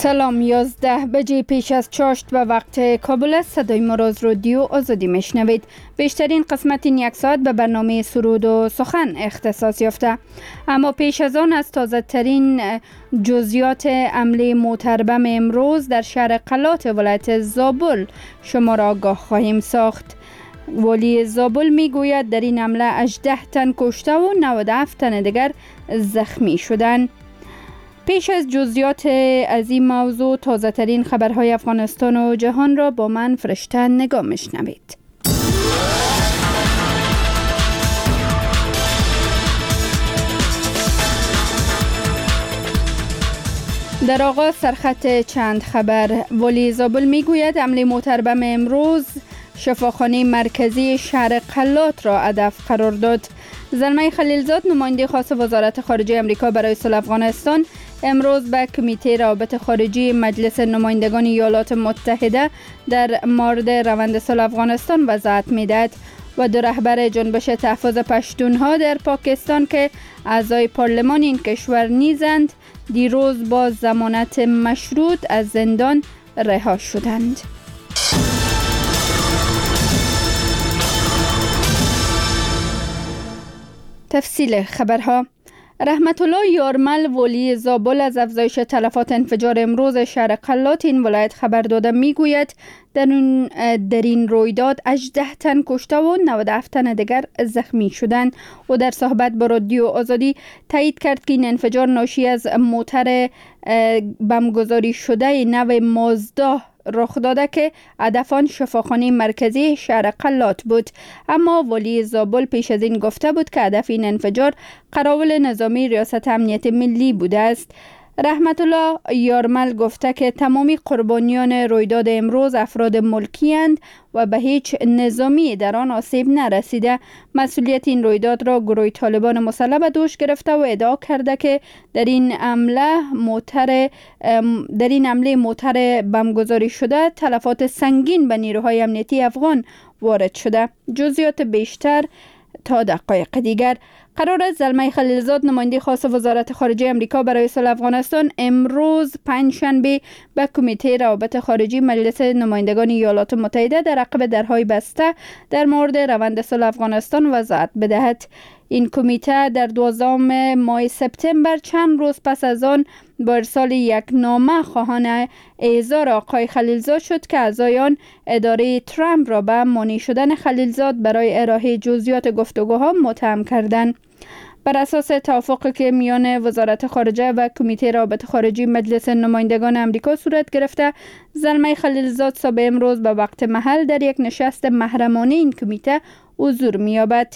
سلام، 11 بجه پیش از چاشت و وقت کابل است. صدای ما را از رادیو آزادی میشنوید. بیشترین قسمت این یک ساعت به برنامه سرود و سخن اختصاص یافته، اما پیش از آن از تازه ترین جزئیات حمله موتربم امروز در شهر قلات ولایت زابل شما را آگاه خواهیم ساخت. والی زابل میگوید در این حمله 18 تن کشته و 97 تن دیگر زخمی شدند. پیش از جزئیات از این موضوع، تازه ترین خبرهای افغانستان و جهان را با من فرشته نگاه میشنوید. در آغاز سرخط چند خبر. والی زابل میگوید حمله موتربم امروز شفاخانه مرکزی شهر قلات را هدف قرار داد. زلمی خلیلزاد، نماینده خاص وزارت خارجه امریکا برای صلح افغانستان، امروز به کمیته روابط خارجی مجلس نمایندگان ایالات متحده در مورد روند صلح افغانستان وضاحت میدهد. و دو رهبر جنبش تحفظ پشتونها در پاکستان که اعضای پارلمان این کشور نیزند، دیروز با ضمانت مشروط از زندان رها شدند. تفصیل خبرها. رحمت الله یارمل، ولی زابل، از افزایش تلفات انفجار امروز شهر قلات این ولایت خبر داده میگوید در این رویداد 18 تن کشته و 97 تن دیگر زخمی شدند. و در صحبت با رادیو آزادی تایید کرد که این انفجار ناشی از موتر بمگذاری شده نو مازدا رخ داده که هدف آن شفاخانه مرکزی شهر قلات بود. اما والی زابل پیش از این گفته بود که هدف این انفجار قراول نظامی ریاست امنیت ملی بوده است. رحمت الله یارمل گفته که تمامی قربانیان رویداد امروز افراد ملکی اند و به هیچ نظامی در آن آسیب نرسیده. مسئولیت این رویداد را گروه طالبان مسلح به دوش گرفته و ادعا کرده که در این حمله موتر بمگذاری شده تلفات سنگین به نیروهای امنیتی افغان وارد شده. جزئیات بیشتر تا دقایق دیگر. قرار است زلمی خلیلزاد، نماینده خاص وزارت خارجه امریکا برای صلح افغانستان، امروز پنجشنبه به کمیته روابط خارجی مجلس نمایندگان ایالات متحده در عقب درهای بسته در مورد روند صلح افغانستان وضاحت بدهد. این کمیته در 12 ماه سپتامبر، چند روز پس از آن، با ارسال یک نامه خواهان احضار آقای خلیلزاد شد که اعضای آن اداره ترامپ را به مانع شدن خلیلزاد برای ارائه جزئیات گفتگوها متهم کردند. بر اساس توافقی که میان وزارت خارجه و کمیته روابط خارجی مجلس نمایندگان امریکا صورت گرفته، زلمی خلیلزاد صبح امروز به وقت محل در یک نشست محرمانه این کمیته حضور می‌یابد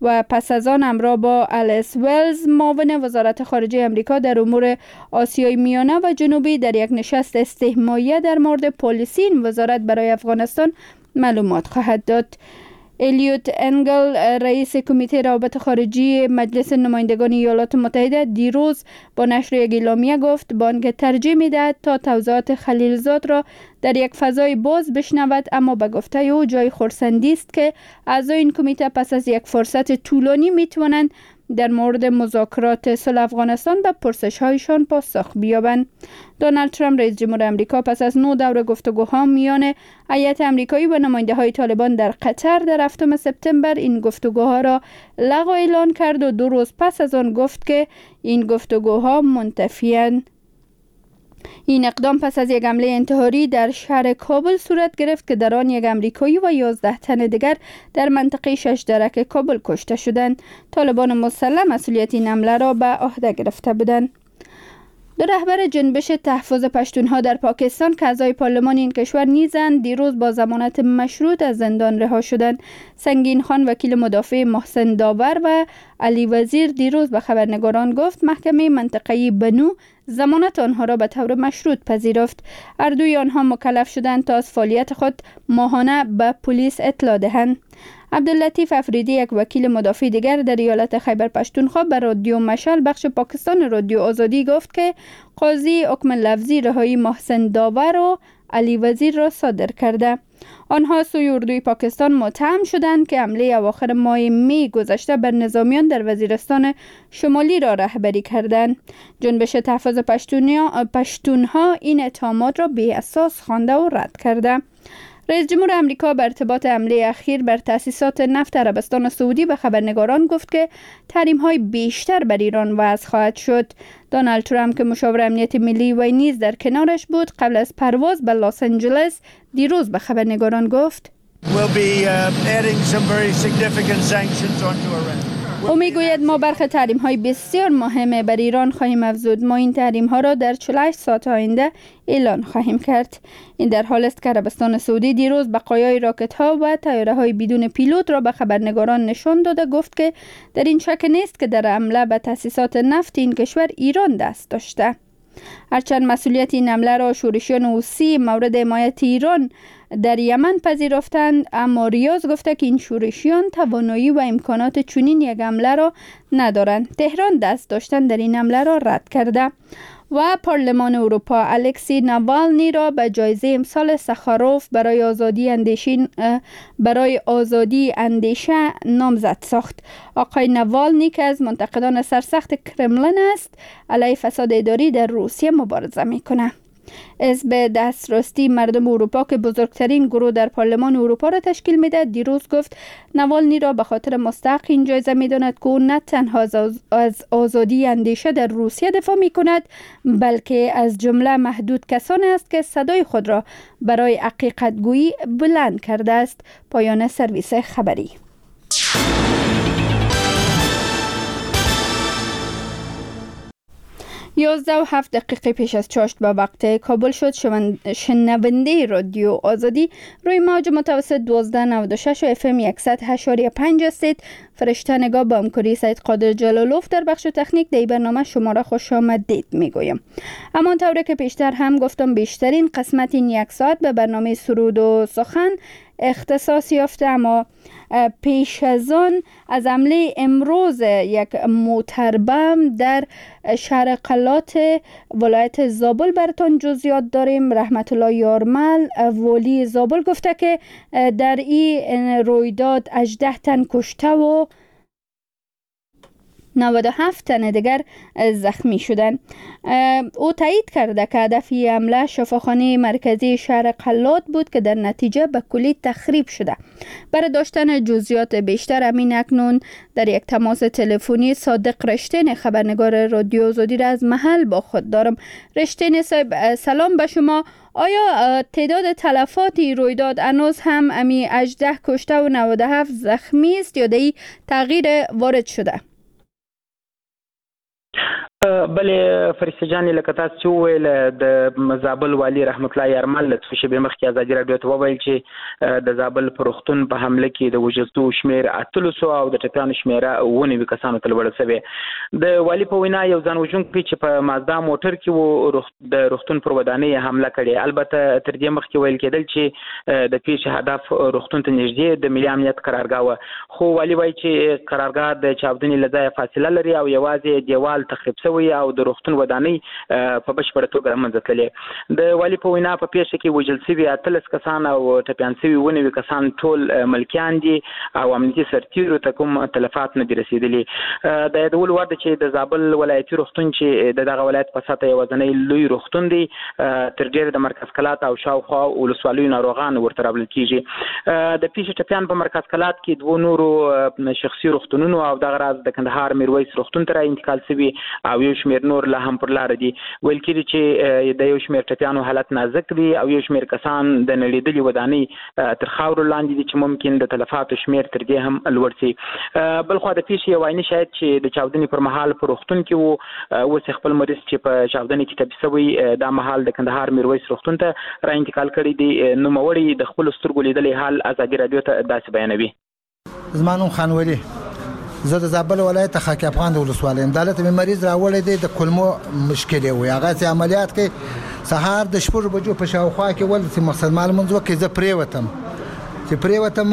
و پس از آن همراه با الیس ولز، معاون وزارت خارجه امریکا در امور آسیای میانه و جنوبی، در یک نشست استهمایه در مورد پالیسی این وزارت برای افغانستان معلومات خواهد داد. الیوت انگل، رئیس کمیته روابط خارجی مجلس نمایندگان ایالات متحده، دیروز با نشر یک اعلامیه گفت بانک ترجیح می‌دهد تا توضیحات خلیلزاد را در یک فضای باز بشنود، اما به گفته او جای خرسندی است که اعضای این کمیته پس از یک فرصت طولانی می‌توانند در مورد مذاکرات صلح افغانستان به پرسش‌هایشان پاسخ بیابند. دونالد ترامپ، رئیس جمهور امریکا، پس از 9 دور گفتگوها میان هیئت امریکایی و نماینده‌های طالبان در قطر در 7 سپتامبر این گفتگوها را لغو اعلان کرد و 2 روز پس از آن گفت که این گفتگوها منتفی‌اند. این اقدام پس از یک حمله انتحاری در شهر کابل صورت گرفت که در آن یک امریکایی و 11 تن دیگر در منطقه 6 درک کابل کشته شدند. طالبان مسلح مسئولیت این حمله را به عهده گرفته بودند. دو رهبر جنبش تحفظ پشتونها در پاکستان که اعضای پارلمان این کشور نیزند، دیروز با ضمانت مشروط از زندان رها شدند. سنگین خان، وکیل مدافع محسن داور و علی وزیر، دیروز به خبرنگاران گفت محکمه منطقه‌ای بنو ضمانت آنها را به طور مشروط پذیرفت. هر دوی آنها مکلف شدند تا از فعالیت خود ماهانه به پلیس اطلاع دهند. عبداللطیف افریدی، یک وکیل مدافع دیگر در ایالت خیبر پشتونخوا، به رادیو مشال بخش پاکستان رادیو آزادی گفت که قاضی حکم لفظی رهایی محسن داور و علی وزیر را صادر کرده. آنها سوی اردوی پاکستان متهم شدند که حمله اواخر ماه می گذشته بر نظامیان در وزیرستان شمالی را رهبری کردند. جنبش تحفظ پشتونها این اتهامات را بی اساس خوانده و رد کرده. رئیس جمهور امریکا بر ارتباط حمله اخیر بر تأسیسات نفت عربستان سعودی به خبرنگاران گفت که تحریم‌های بیشتر بر ایران وضع خواهد شد. دونالد ترامپ که مشاور امنیت ملی وی نیز در کنارش بود، قبل از پرواز به لس آنجلس دیروز به خبرنگاران گفت: We'll be adding some very significant sanctions onto Iran. او میگوید ما برخی تحریم های بسیار مهم بر ایران خواهیم افزود. ما این تحریم ها را در 48 ساعت آینده اعلان خواهیم کرد. این در حال است که عربستان سعودی دیروز بقایای راکت ها و طیاره های بدون پیلوت را به خبرنگاران نشان داده، گفت که در این شک نیست که در حمله به تأسیسات نفت این کشور ایران دست داشته. هرچند مسئولیت این حمله را شورشیان حوثی مورد حمایت ایران در یمن پذیرفتند، اما ریاض گفته که این شورشیان توانایی و امکانات چنین یک حمله را ندارند. تهران دست داشتن در این حمله را رد کرده. و پارلمان اروپا الکسی ناوالنی را به جایزه امسال سخاروف برای آزادی اندیشه نامزد ساخت. آقای ناوالنی که از منتقدان سرسخت کرملین است، علیه فساد اداری در روسیه مبارزه میکنه. حزب دست راستی مردم اروپا که بزرگترین گروه در پارلمان اروپا را تشکیل میدهد، دیروز گفت نوالنی را به خاطر مستحق این جایزه میداند که او نه تنها از آزادی اندیشه در روسیه دفاع می کند، بلکه از جمله محدود کسان است که صدای خود را برای حقیقت گویی بلند کرده است. پایان سرویس خبری. 11:07 پیش از چاشت به وقت کابل شد. شنونده رادیو آزادی روی موج متوسط 1296 و FM 100.5 هستید. فرشته نگاه با همکاری سید قادر جلالوف در بخش تکنیک در برنامه شما را خوش آمدید میگویم. همان طوره که پیشتر هم گفتم، بیشترین قسمت این یک ساعت به برنامه سرود و سخن اختصاص یافته، اما پیش از آن از حمله امروز یک موتربم در شهر قلات ولایت زابل براتان جزئیات داریم. رحمت الله یارمل، والی زابل، گفته که در این رویداد 18 تن کشته و 97 تن دیگر زخمی شدند. او تایید کرده که هدف حمله شفاخانه مرکزی شهر قلات بود که در نتیجه به کلی تخریب شده. برای داشتن جزئیات بیشتر، همین اکنون در یک تماس تلفنی صادق رشتین، خبرنگار رادیو آزادی را از محل با خود دارم. رشتین صاحب، سلام به شما. آیا تعداد تلفات رویداد هنوز هم امی 18 کشته و 97 زخمی است یا دی تغییر وارد شده؟ بله فرشته جانې، لکه تاسو چې وویل، د زابل والي رحمت الله یارمل څو شېبې مخکې ازادي راډیو ته وویل چې د زابل پر روغتون په حمله کې د وژل شوو شمېر 18 او د ټپیانو شمېره 97 کسانو ته لوړه شوې. د والي په وینا، یو ځان وژونکی چې په مازدا موټر کې و، د روغتون پر ودانۍ حمله کړې. البته تر دې مخکې ویل کېدل چې د پېښې هدف روغتون ته نږدې د ملي امنیت قرارګاه وه، خو والي وایي چې قرارګاه د چاودنې له ځایه فاصله لري او یوازې دیوال تخریب شوی او د روغتون ودانۍ په بشپړه توګه له منځه تللې. د والي په وینا، په پېښه کې وژل شوي 18 کسان او ټپیان شوي 97 کسان ټول ملکیان دي او امنیتي سرتیرو ته کوم تلفات نه دي رسېدلي. د یادولو وړ ده چې د زابل ولایتي روغتون، چې د دغه ولایت په سطح یوازنی لوی روغتون دی، تر ډېره د مرکز کلات او شاوخوا ولسوالیو ناروغان ورته راوړل کېږي. د پېښې ټپیان په مرکز کلات کې دوو نورو شخصي روغتونونو او دغه راز د کندهار میرویس روغتون ته را انتقال شوي او یو شمېر نور لا هم پر لاره دي. ویل کېږي چې د یو شمېر ټپیانو حالت نازک دی او یو شمېر کسان د نړېدلې ودانۍ تر خاورو لاندې دي چې ممکن د تلفاتو شمېر تر دې هم لوړ شي. بلخوا د پېښې یو عیني شاهد چې د چاودنې پر مهال په روغتون کې و، اوس خپل مریض چې په چاودنې کې ټپي شوی، دا مهال د کندهار میرویس روغتون ته را انتقال کړی دی. نوموړی د خپلو سترګو لیدلی حال ازادي راډیو ته داسې بیانوي: زما نوم خان ولي، زه د زابل ولایت خاک افغان د ولسوالۍ یم. دلته مې مریض راوړی دی، د کولمو مشکل یې وي. هغه چې عملیات کوي، سهار د 6 بجو په شاوخوا کې ول چې مقصد ما لمونځ وکړي. زه پرېوتم، چې پرېوتم،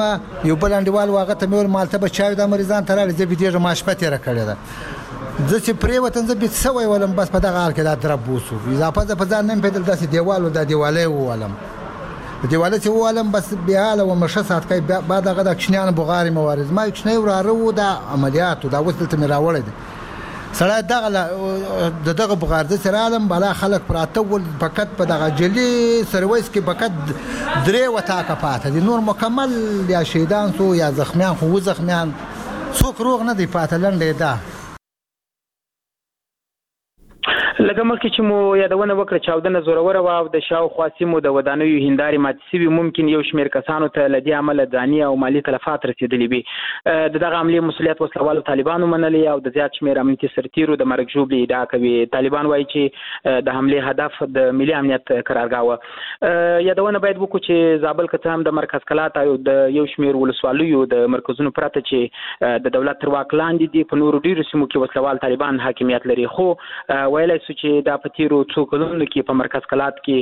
یو بل انډیوال و، هغه ته مې وویل مالته به چای دا مریضان ته راوړي، زه بېدېږم، ما شپه تېره کړې ده. زه چې پرېوتم، زه بیده سوی ولم، بس په دغه حال کې دا درب وسو. اضافه زه په ځان نه یم پوهېدل، داسې دیوال و، دا دیوالی وولم. دیواله چې ووالم بس بېحاله وم، ښه ساعت کوي. بعد هغه د کوچنیانو بغارې مې وارې، زما یو کوچنی وراره و، دا عملیات و، دا اوس دلته مې راوړی دی. سړی دغه د دغه بغار داسې رالم، بالا خلک پراته ول، فقط په دغه جلي سرویس کې فقط 3 وطاقه پاته دي، نور مکمل یا شهیدان سو یا زخمیان، خو زخمیان څوک روغ نه دی پاته. لنډه یې دا. لکه مخکې چې مو یادونه وکړه، چاودنه زوروره وه او د شاوخوا سیمو د ودانیو هندارې ماتې شوي. ممکن یو شمېر کسانو ته له دې امله ځاني او مالي تلفات رسېدلي وي. د دغه حملې مسؤلیت وسلهوالو طالبانو منلی او د زیات شمېر امنیتي سرتیرو د مرګ ژوبلې ادعا کوي. طالبان وایي چې د حملې هدف د ملي امنیت قرارګاه وه. یادونه باید وکړو چې زابل که څه هم د مرکز کلات او د یو شمېر ولسوالیو د مرکزونو پرته چې د دولت تر واک لاندې دي، په نورو ډېرو سیمو کې وسلهوال طالبان حاکمیت لري، خو ویلی شو چې دا په تیرو څو کلونو کې په مرکز کلات کې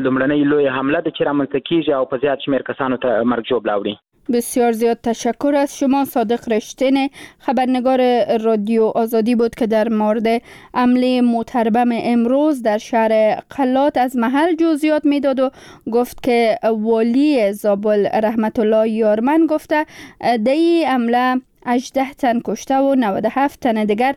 لومړنۍ لویه حمله ده چې رامنځته کیږي او په زیات شمېر کسانو ته مرګ ژوبله اوړي. بسیار زیاد تشکر از شما. صادق رشتین، خبرنگار رادیو آزادی بود که در مورد حمله موتربم امروز در شهر قلات از محل جزئیات میداد و گفت که والی زابل رحمت الله یارمن گفته در این حمله 18 تن کشته و 97 تن دیگر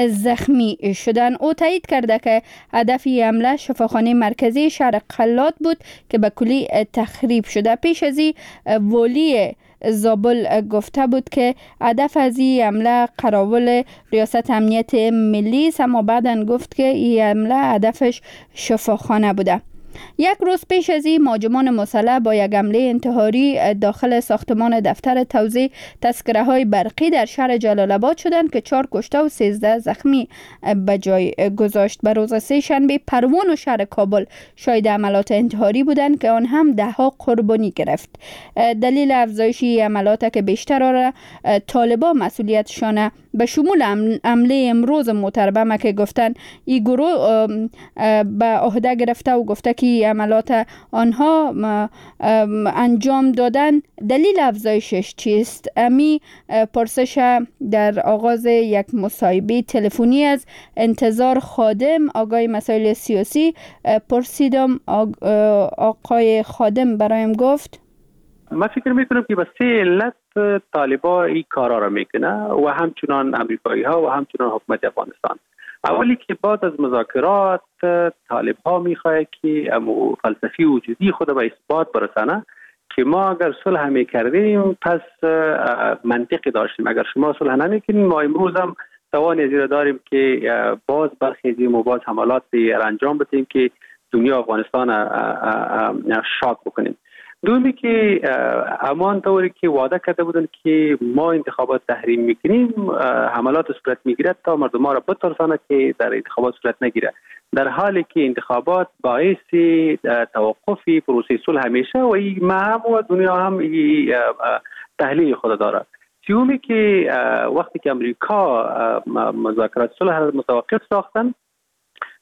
زخمی شدن. او تایید کرده که هدف حمله شفاخانه مرکزی شهر قلات بود که به کلی تخریب شده. پیش از این والی زابل گفته بود که هدف از این حمله قراول ریاست امنیت ملی است، اما بعدا گفت که این حمله هدفش شفاخانه بوده. یک روز پیش از این مهاجمان مسلح با یک حمله انتحاری داخل ساختمان دفتر توزیع تذکره های برقی در شهر جلال آباد شدند که 4 کشته و 13 زخمی به جای گذاشت. به روز سه شنبه پروان و شهر کابل شاهد عملات انتحاری بودند که آن هم ده ها قربانی گرفت. دلیل افزایش عملات که بیشتر را طالبان مسئولیتشان به شمول حمله امروز موتربم که گفتن این گروه به عهده گرفته و گفته که عملات آنها انجام دادن، دلیل افزایشش چیست؟ امی پرسش در آغاز یک مصاحبه تلفنی از انتظار خادم، آگاه مسائل سیاسی، پرسیدم. آقای خادم برایم گفت: من فکر میکنم که به سه علت طالبا این کارا را میکنه و همچنان امریکایی ها و همچنان حکومت افغانستان. اولی که بعد از مذاکرات طالب ها میخواه که امو فلسفی وجودی خود به اثبات برسانه که ما اگر صلح میکردیم پس منطقی داشتیم، اگر شما صلح نمیکنیم ما امروز هم توان ازی داریم که باز برخیزیم و باز حملات انجام بدیم که دنیا افغانستان شاک بکنیم. دومی که امان طوری که وعده کرده بودن که ما انتخابات تحریم میکنیم، حملات صورت میگیرد تا مردم را بترسانه که در انتخابات صورت نگیره، در حالی که انتخابات باعث توقف پروسه صلح همیشه و این ما هم و دنیا هم تحلیل خود داره. سومی که وقتی که امریکا مذاکرات صلح را متوقف ساختن،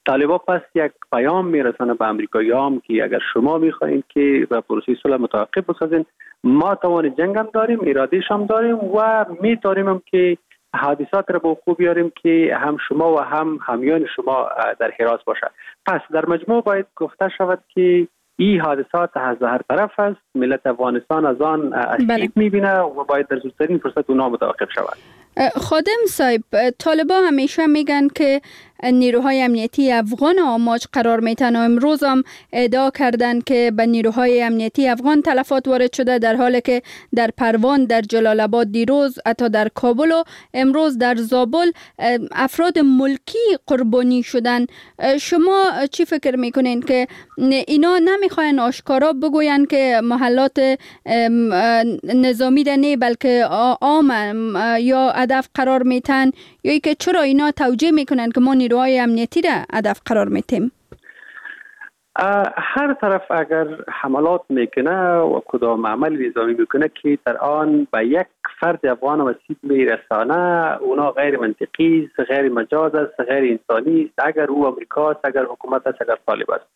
طالبا پس یک پیام میرسانه به امریکایی‌ها که اگر شما میخواهید که به پروسه صلح متوقف بسازین، ما توان جنگ هم داریم، ارادهش هم داریم و میتونیم هم که حادثات را به وقوع بیاریم که هم شما و هم همیان شما در حراس باشه. پس در مجموع باید گفته شود که این حادثات از هر طرف است، ملت افغانستان از آن اسیب میبینه و باید در زودترین فرصت اونا متوقف شود. خادم صاحب، طالبا همیشه میگن که نیروهای امنیتی افغان آماج قرار میتن و امروز هم ادعا کردن که به نیروهای امنیتی افغان تلفات وارد شده، در حالی که در پروان، در جلال آباد دیروز، حتی در کابل و امروز در زابل افراد ملکی قربانی شدن. شما چی فکر میکنین که اینا نمیخواین آشکارا بگوین که محلات نظامی نه بلکه عام یا هدف قرار میتن، یا که چرا اینا توجیه میکنن که ما نیروهای امنیتی را هدف قرار میتیم؟ هر طرف اگر حملات میکنه و کدام عمل نظامی میکنه که در آن به یک فرد افغان آسیب میرسانه، اونا غیر منطقی است، غیر مجاز است، غیر انسانی است، اگر او امریکا است، اگر حکومت است، اگر طالب است،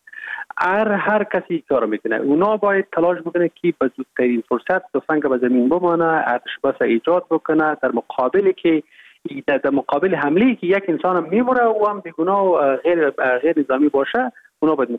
هر کسی کار میکنه، اونا باید تلاش بکنه که به زودترین فرصت تفنگ به زمین بمانه، ارتش بس ایجاد بکنه در مقابل که در مقابل حمله که یک انسان میموره و هم بیگناه و غیر نظامی باشه، اونا باید